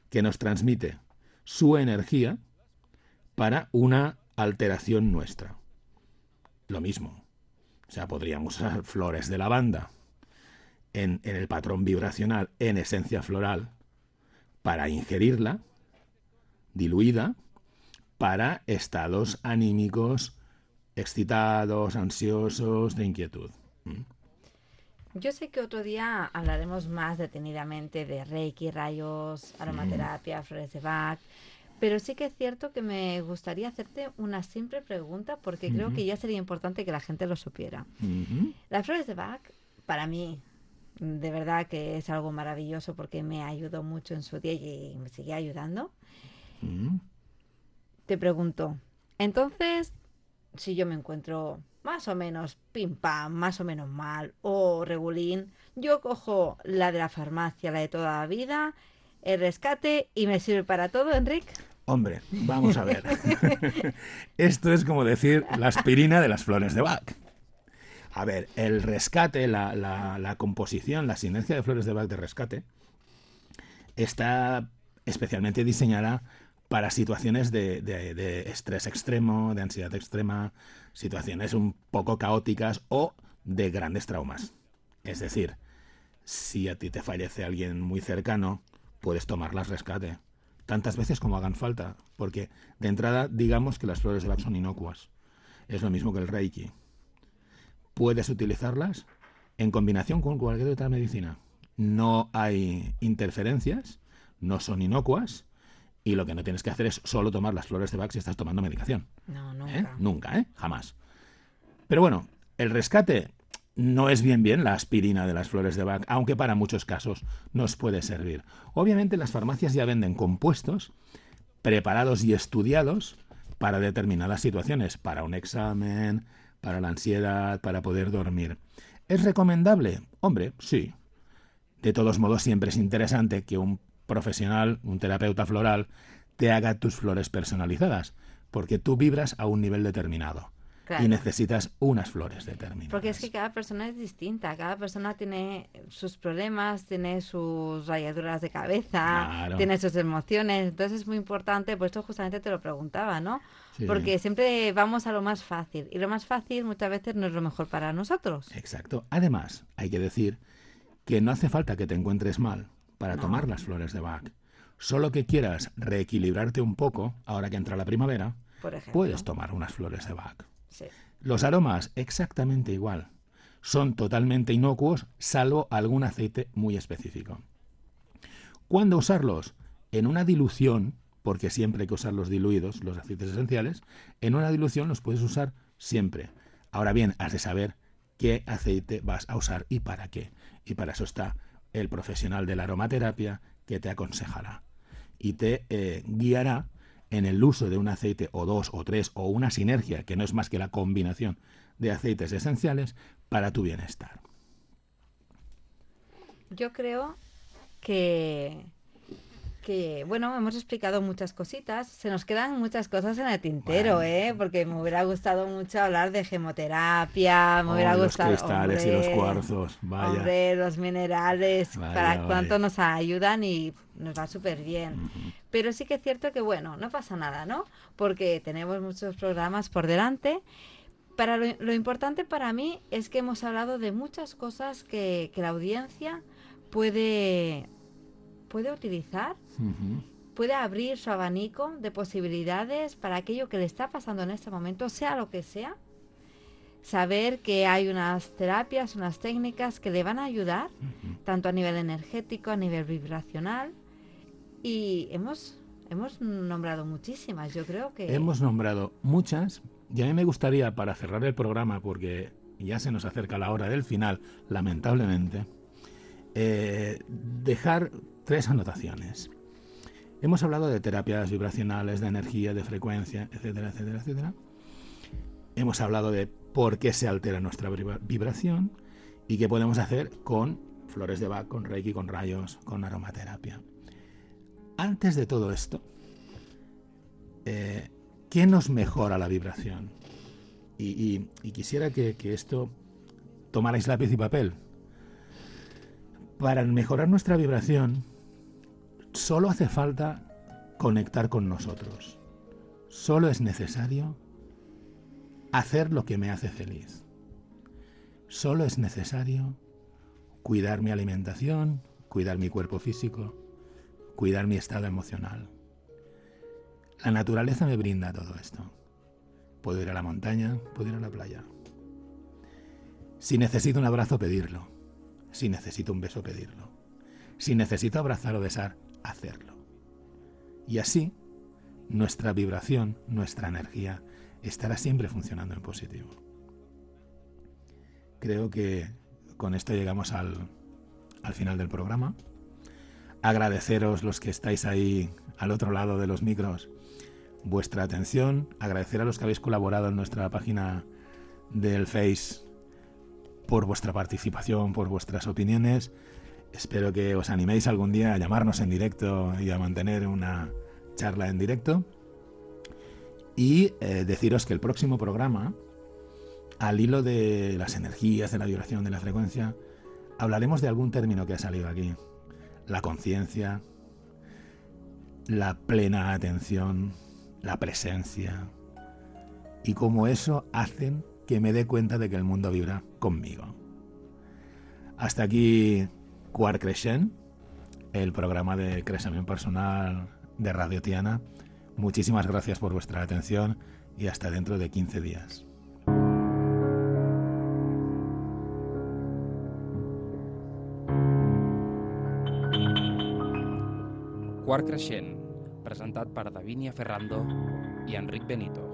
que nos transmite su energía para una alteración nuestra. Lo mismo. O sea, podríamos usar flores de lavanda en, en el patrón vibracional, en esencia floral, para ingerirla diluida para estados anímicos excitados, ansiosos, de inquietud. ¿Mm? Yo sé que otro día hablaremos más detenidamente de Reiki, rayos, aromaterapia, flores de Bach, pero sí que es cierto que me gustaría hacerte una simple pregunta porque uh-huh. creo que ya sería importante que la gente lo supiera. Uh-huh. Las flores de Bach, para mí, de verdad que es algo maravilloso porque me ayudó mucho en su día y me sigue ayudando. Uh-huh. Te pregunto, entonces, si yo me encuentro más o menos pim pam, más o menos mal o regulín, yo cojo la de la farmacia, la de toda la vida, el rescate y me sirve para todo, Enric. Hombre, vamos a ver. Esto es como decir la aspirina de las flores de Bach. A ver, el rescate, la, la, la composición, la sinergia de flores de Bach de rescate está especialmente diseñada para situaciones de, de, de estrés extremo, de ansiedad extrema, situaciones un poco caóticas o de grandes traumas. Es decir, si a ti te fallece alguien muy cercano, puedes tomarlas rescate, tantas veces como hagan falta, porque de entrada digamos que las flores de Bach son inocuas. Es lo mismo que el Reiki. Puedes utilizarlas en combinación con cualquier otra medicina. No hay interferencias, no son inocuas, y lo que no tienes que hacer es solo tomar las flores de Bach si estás tomando medicación. No, nunca. ¿Eh? Nunca, ¿eh? Jamás. Pero bueno, el rescate no es bien bien la aspirina de las flores de Bach, aunque para muchos casos nos puede servir. Obviamente las farmacias ya venden compuestos preparados y estudiados para determinadas situaciones, para un examen, para la ansiedad, para poder dormir. ¿Es recomendable? Hombre, sí. De todos modos, siempre es interesante que un profesional, un terapeuta floral, te haga tus flores personalizadas, porque tú vibras a un nivel determinado. Claro. Y necesitas unas flores determinadas. Porque es que cada persona es distinta, cada persona tiene sus problemas, tiene sus rayaduras de cabeza, claro. tiene sus emociones, entonces es muy importante, por esto justamente te lo preguntaba, ¿no? Sí. Porque siempre vamos a lo más fácil, y lo más fácil muchas veces no es lo mejor para nosotros. Exacto. Además, hay que decir que no hace falta que te encuentres mal para no. tomar las flores de Bach. Solo que quieras reequilibrarte un poco, ahora que entra la primavera, por ejemplo, puedes tomar unas flores de Bach. Sí. Los aromas, exactamente igual. Son totalmente inocuos, salvo algún aceite muy específico. ¿Cuándo usarlos? En una dilución, porque siempre hay que usar los diluidos, los aceites esenciales, en una dilución los puedes usar siempre. Ahora bien, has de saber qué aceite vas a usar y para qué. Y para eso está el profesional de la aromaterapia que te aconsejará y te eh, guiará en el uso de un aceite o dos o tres o una sinergia, que no es más que la combinación de aceites esenciales para tu bienestar. Yo creo que, que, bueno, hemos explicado muchas cositas. Se nos quedan muchas cosas en el tintero, bueno. ¿eh? Porque me hubiera gustado mucho hablar de gemoterapia, me oh, hubiera gustado... Los cristales hombre, y los cuarzos, vaya. Hombre, los minerales, vaya, para vaya. cuánto nos ayudan y nos va súper bien. Uh-huh. Pero sí que es cierto que, bueno, no pasa nada, ¿no? Porque tenemos muchos programas por delante. Para lo, lo importante para mí es que hemos hablado de muchas cosas que, que la audiencia puede, puede utilizar, uh-huh. puede abrir su abanico de posibilidades para aquello que le está pasando en este momento, sea lo que sea. Saber que hay unas terapias, unas técnicas que le van a ayudar, uh-huh. tanto a nivel energético, a nivel vibracional. Y hemos, hemos nombrado muchísimas, yo creo que... Hemos nombrado muchas, y a mí me gustaría, para cerrar el programa, porque ya se nos acerca la hora del final, lamentablemente, eh, dejar tres anotaciones. Hemos hablado de terapias vibracionales, de energía, de frecuencia, etcétera, etcétera, etcétera. Hemos hablado de por qué se altera nuestra vibración y qué podemos hacer con flores de Bach, con Reiki, con rayos, con aromaterapia. Antes de todo esto, eh, ¿qué nos mejora la vibración? Y, y, y quisiera que, que esto tomarais lápiz y papel. Para mejorar nuestra vibración, solo hace falta conectar con nosotros. Solo es necesario hacer lo que me hace feliz. Solo es necesario cuidar mi alimentación, cuidar mi cuerpo físico, cuidar mi estado emocional. La naturaleza me brinda todo esto. Puedo ir a la montaña, puedo ir a la playa. Si necesito un abrazo, pedirlo. Si necesito un beso, pedirlo. Si necesito abrazar o besar, hacerlo. Y así, nuestra vibración, nuestra energía, estará siempre funcionando en positivo. Creo que con esto llegamos al, al final del programa. Agradeceros los que estáis ahí al otro lado de los micros vuestra atención. Agradecer a los que habéis colaborado en nuestra página del Face por vuestra participación, por vuestras opiniones. Espero que os animéis algún día a llamarnos en directo y a mantener una charla en directo. Y eh, deciros que el próximo programa, al hilo de las energías, de la vibración, de la frecuencia, hablaremos de algún término que ha salido aquí. La conciencia, la plena atención, la presencia, y cómo eso hacen que me dé cuenta de que el mundo vibra conmigo. Hasta aquí Quart Creixent, el programa de crecimiento personal de Radio Tiana. Muchísimas gracias por vuestra atención y hasta dentro de quince días. Quart Creixent, presentat per Davinia Ferrando i Enric Benito.